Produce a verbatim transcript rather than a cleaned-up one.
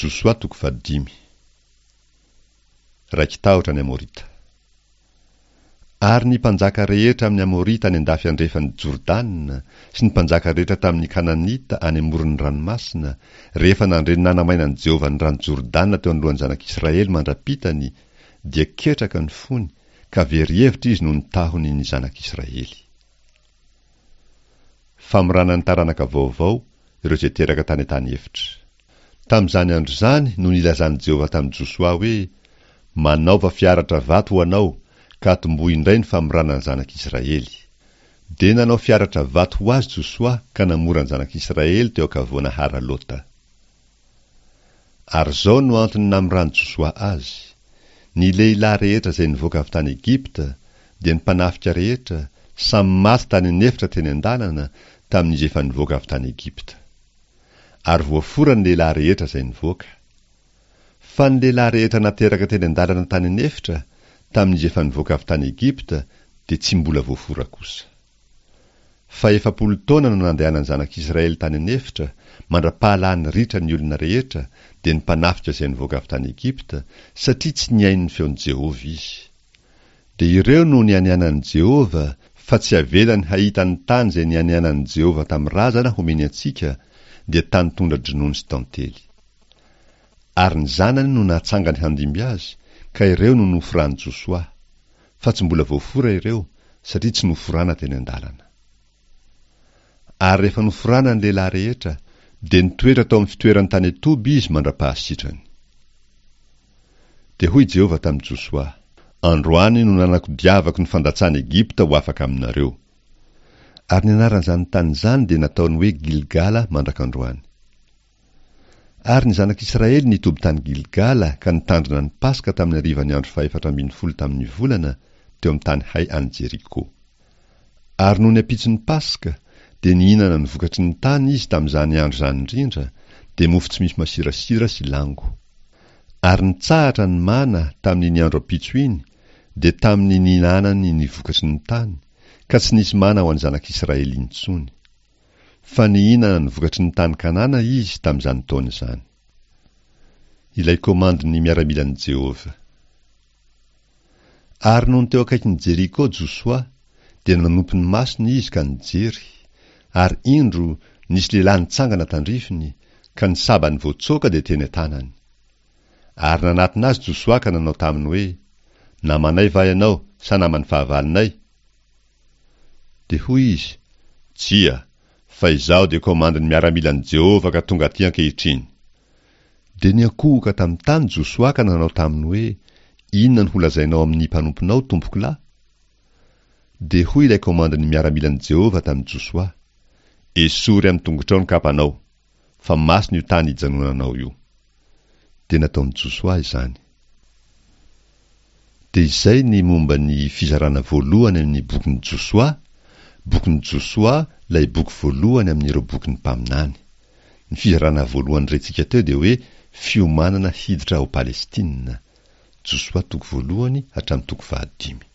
Josoa toko fahadimy. Raiki-tahotra ny Amorita. Ary ny mpanjaka rehetra amin'ny Amorita any an-dafy andrefan'i Jordana sy ny mpanjaka rehetra tamin'ny Kananita any amoron'ny ranomasina, rehefa nandre ny nanamainan'i Jehovah ny rano Jordana teo anoloan'ny zanak'Israely mandra-pitany, dia ketraka ny fony, ka very hevitra izy noho ny tahony ny zanak'Israely. Famorana ny taranaka vaovao, ireo izay teraka tany an-tany efitra. Tamin'izany andro izany no nilazan'i Jehovah tamin'i Josoa hoe, Manaova fiaratra vato ho anao, ka atombohy indray ny famorana ny zanak'Israely. Dia nanao fiaratra vato ho azy Josoa ka namora ny zanak'Israely teo ankavoana Haralota. Ary izao no antony namoran'i Josoa azy: Ny lehilahy rehetra izay nivoaka avy tany Egypta, dia ny mpanafika rehetra, samy maty tany an'efitra teny an-dalana, tamin'izy efa nivoaka avy tany Egypta. Ary voafora ny lehilahy rehetra izay nivoaka. Fa ny lehilahy rehetra nateraka teny an-dalana tany an'efitra, tamin'izy efa nivoaka avy tany Egypta, dia tsy mbola voafora kosa. Fa efapolo taona no nandehanan'ny zanak'Israely tany an'efitra, mandra-pahalany ritra ny olona rehetra, dia ny mpanafika izay nivoaka avy tany Egypta, satria tsy nihaino ny feon'i Jehovah izy. Dia ireo no nianianan'i Jehovah, fa tsy avelany hahita ny tany izay nianianan'i Jehovah tamin'ny razana homeny antsika, dia tany tondra-dronono sy tantely. Ary ny zanany no natsangany handimby azy, ka ireo no noforan'i Josoa. Fa tsy mbola voafora ireo, satria tsy noforana teny an-dalana. Ary rehefa noforana ny lehilahy rehetra, dia nitoetra tao amin'ny fitoerany tany an-toby izy mandra-pahasitrany. Dia hoy Jehovah tamin'i Josoa, Androany no nanakodiavako ny fandatsan'i Egypta ho afaka aminareo. Ary ny anaran'izany tany izany dia nataony hoe Gilgala mandrak'androany. Ary ny zanak'Israely nitoby tany Gilgala ka nitandrina ny Paska tamin'ny harivan'ny andro fahefatra ambin'ny folo tamin'ny volana, teo amin'ny tany hay any Jeriko. Ary nony ampitson'ny Paska, dia nihinana ny vokatry ny tany izy tamin'izany andro izany indrindra, dia mofo tsy misy masirasira sy lango. Ary nitsahatra ny mana tamin'iny andro ampitso iny, dia tamin'ny nihinanany ny vokatry ny tany, ka tsy nisy mana ho an'ny zanak'Israely intsony. Fa nihinana ny vokatry ny tany Kanana izy tamin'izany taona izany. Ilay komandin'ny miaramilan'i Jehovah. Ary nony teo akaikin'i Jeriko Josoa, dia nanompo ny masony izy ka nijery, ary indro nisy lehilahy nitsangana tandrifiny, ka ny sabany voatsoaka dia teny an-tanany. Ary nanatona azy Josoa ka nanao taminy hoe, Namanay va ianao sa naman'ny fahavalonay? Dia hoy izy, Tsia, fa izaho dia komandin'ny miaramilan'i Jehovah ka tonga aty ankehitriny. Dia niankohoka tamin'ny tany Josoa ka nanao taminy hoe, Inona no holazainao amin'ny mpanomponao, tompokolahy? Dia hoy ilay komandin'ny miaramilan'i Jehovah tamin'i Josoa, Esory amin'ny tongotrao ny kapanao, fa masina io tany ijanonanao io. Dia nataon'i Josoa izany. Dia izay ny momba ny fizarana voalohany amin'ny bokin'i Josoa, bokin'i Josoa ilay boky voalohany amin'ireo bokin'ny mpaminany. Ny fizarana voalohany rentsika teo dia hoe fiomanana hiditra ao Palestina. Josoa toko voalohany hatramin'ny toko fahadimy.